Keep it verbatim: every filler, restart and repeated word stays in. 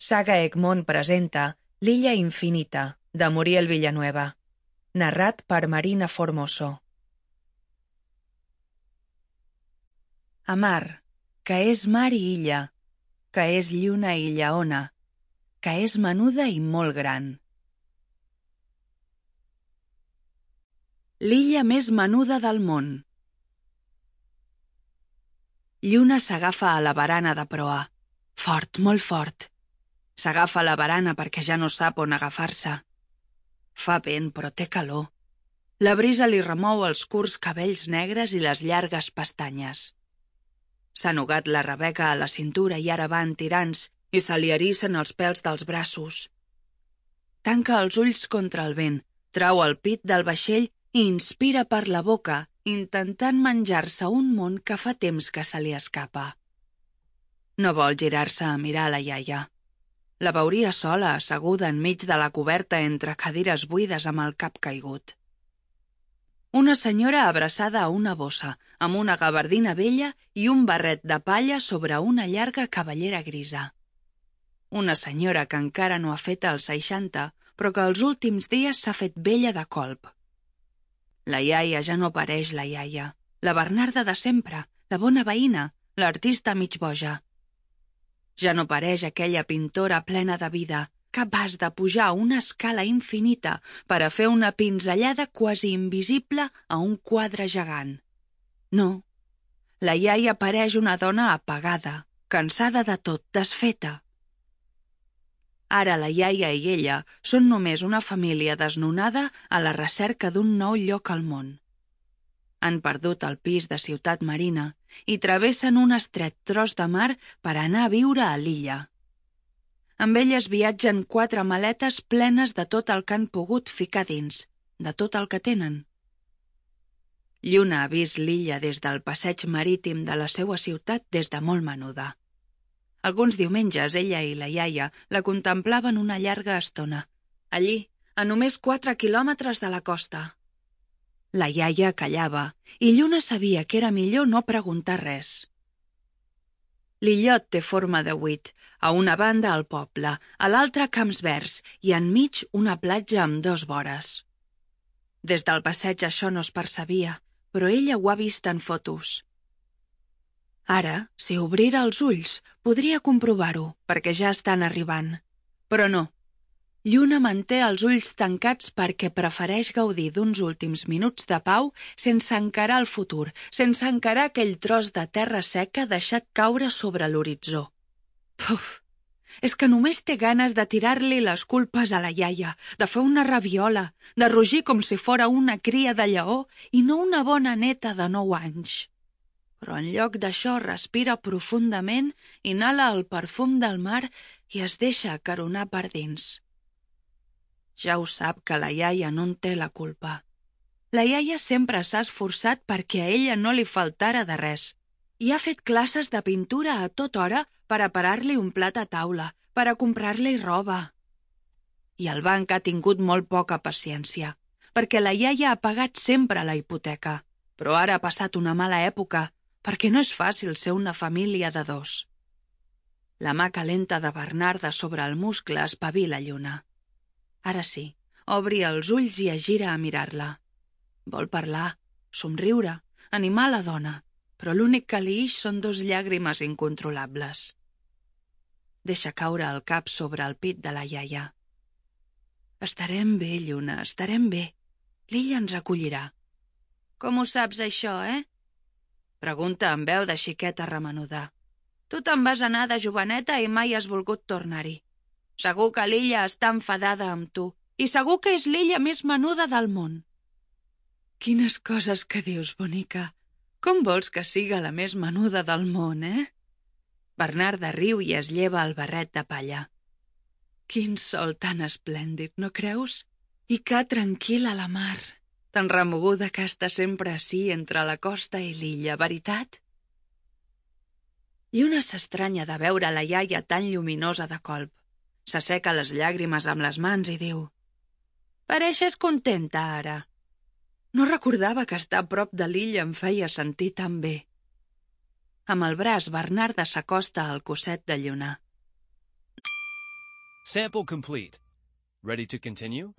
Saga Egmont presenta L'illa infinita, de Muriel Villanueva, narrat per Marina Formoso. A mar, que és mar i illa, que és lluna i lleona, que és menuda i molt gran. L'illa més menuda del món. Lluna s'agafa a la barana de proa. Fort, molt fort. S'agafa a la barana perquè ja no sap on agafar-se. Fa vent, però té calor. La brisa li remou els curts cabells negres i les llargues pestanyes. S'ha nugat la Rebeca a la cintura i ara van tirants i se li erissen els pèls dels braços. Tanca els ulls contra el vent, trau el pit del vaixell i inspira per la boca, intentant menjar-se un món que fa temps que se li escapa. No vol girar-se a mirar la iaia. La veuria sola, asseguda enmig de la coberta entre cadires buides amb el cap caigut. Una senyora abraçada a una bossa, amb una gabardina vella i un barret de palla sobre una llarga cabellera grisa. Una senyora que encara no ha fet els seixanta, però que els últims dies s'ha fet vella de colp. La iaia ja no pareix la iaia, la Bernarda de sempre, la bona veïna, l'artista mig boja. Ja no pareix aquella pintora plena de vida, capaç de pujar una escala infinita per a fer una pinzellada quasi invisible a un quadre gegant. No, la iaia pareix una dona apagada, cansada de tot, desfeta. Ara la iaia i ella són només una família desnonada a la recerca d'un nou lloc al món. Han perdut el pis de Ciutat Marina i travessen un estret tros de mar per anar a viure a l'illa. Amb elles viatgen quatre maletes plenes de tot el que han pogut ficar dins, de tot el que tenen. Lluna ha vist l'illa des del passeig marítim de la seua ciutat des de molt menuda. Alguns diumenges ella i la iaia la contemplaven una llarga estona, allí, a només quatre quilòmetres de la costa. La iaia callava i Lluna sabia que era millor no preguntar res. L'illot té forma de vuit, a una banda el poble, a l'altra camps verds i enmig una platja amb dos vores. Des del passeig això no es percebia, però ella ho ha vist en fotos. Ara, si obrira els ulls, podria comprovar-ho, perquè ja estan arribant. Però no. Lluna manté els ulls tancats perquè prefereix gaudir d'uns últims minuts de pau sense encarar el futur, sense encarar aquell tros de terra seca deixat caure sobre l'horitzó. Puf! És que només té ganes de tirar-li les culpes a la iaia, de fer una rabiola, de rugir com si fora una cria de lleó i no una bona neta de nou anys. Però en lloc d'això respira profundament, inhala el perfum del mar i es deixa acaronar per dins. Ja ho sap que la iaia no en té la culpa. La iaia sempre s'ha esforçat perquè a ella no li faltara de res i ha fet classes de pintura a tota hora per a parar-li un plat a taula, per a comprar-li roba. I el banc ha tingut molt poca paciència, perquè la iaia ha pagat sempre la hipoteca, però ara ha passat una mala època, perquè no és fàcil ser una família de dos. La mà calenta de Bernarda sobre el muscle espavila Lluna. Ara sí, obri els ulls i es gira a mirar-la. Vol parlar, somriure, animar la dona, però l'únic que li ix són dos llàgrimes incontrolables. Deixa caure el cap sobre el pit de la iaia. Estarem bé, Lluna, estarem bé. L'illa ens acollirà. Com ho saps, això, eh? Pregunta amb veu de xiqueta remenuda. Tu te'n vas anar de joveneta i mai has volgut tornar-hi. Segur que l'illa està enfadada amb tu, i segur que és l'illa més menuda del món. Quines coses que dius, bonica. Com vols que siga la més menuda del món, eh? Bernarda riu i es lleva el barret de palla. Quin sol tan esplèndid, no creus? I que tranquil·la la mar, tan remoguda que està sempre ací entre la costa i l'illa, veritat? Lluna s'estranya de veure la iaia tan lluminosa de colp. S'asseca les llàgrimes amb les mans i diu: «Pareixes contenta, ara». No recordava que estar a prop de l'illa em feia sentir tan bé. Amb el braç, Bernarda s'acosta al cosset de Lluna. Sample complete. Ready to continue?